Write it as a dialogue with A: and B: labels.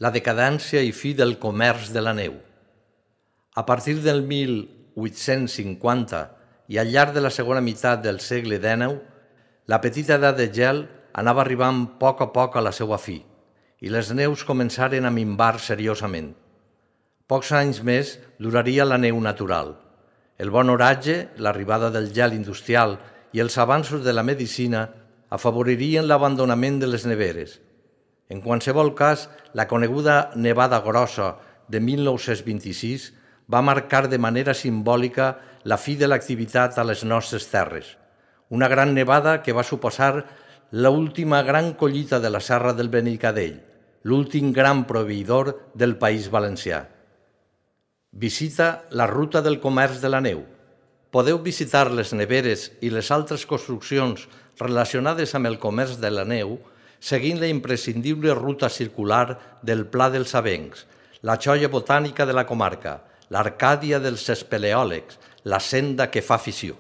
A: la decadència i fi del comerç de la neu. A partir del 1850 i al llarg de la segona meitat del segle XIX, la petita edat de gel anava arribant a poc a la seva fi i les neus començaren a minvar seriosament. Pocs anys més duraria la neu natural. El bon oratge, l'arribada del gel industrial i els avanços de la medicina afavoririen l'abandonament de les neveres. En qualsevol cas, la coneguda nevada grossa de 1926 va marcar de manera simbòlica la fi de l'activitat a les nostres terres. Una gran nevada que va suposar l'última gran collita de la Serra del Benicadell, l'últim gran proveïdor del País Valencià. Visita la ruta del comerç de la neu. Podeu visitar les neveres i les altres construccions relacionades amb el comerç de la neu seguint la imprescindible ruta circular del Pla dels Avencs, la joia botànica de la comarca, l'Arcàdia dels espeleòlegs, la senda que fa afició.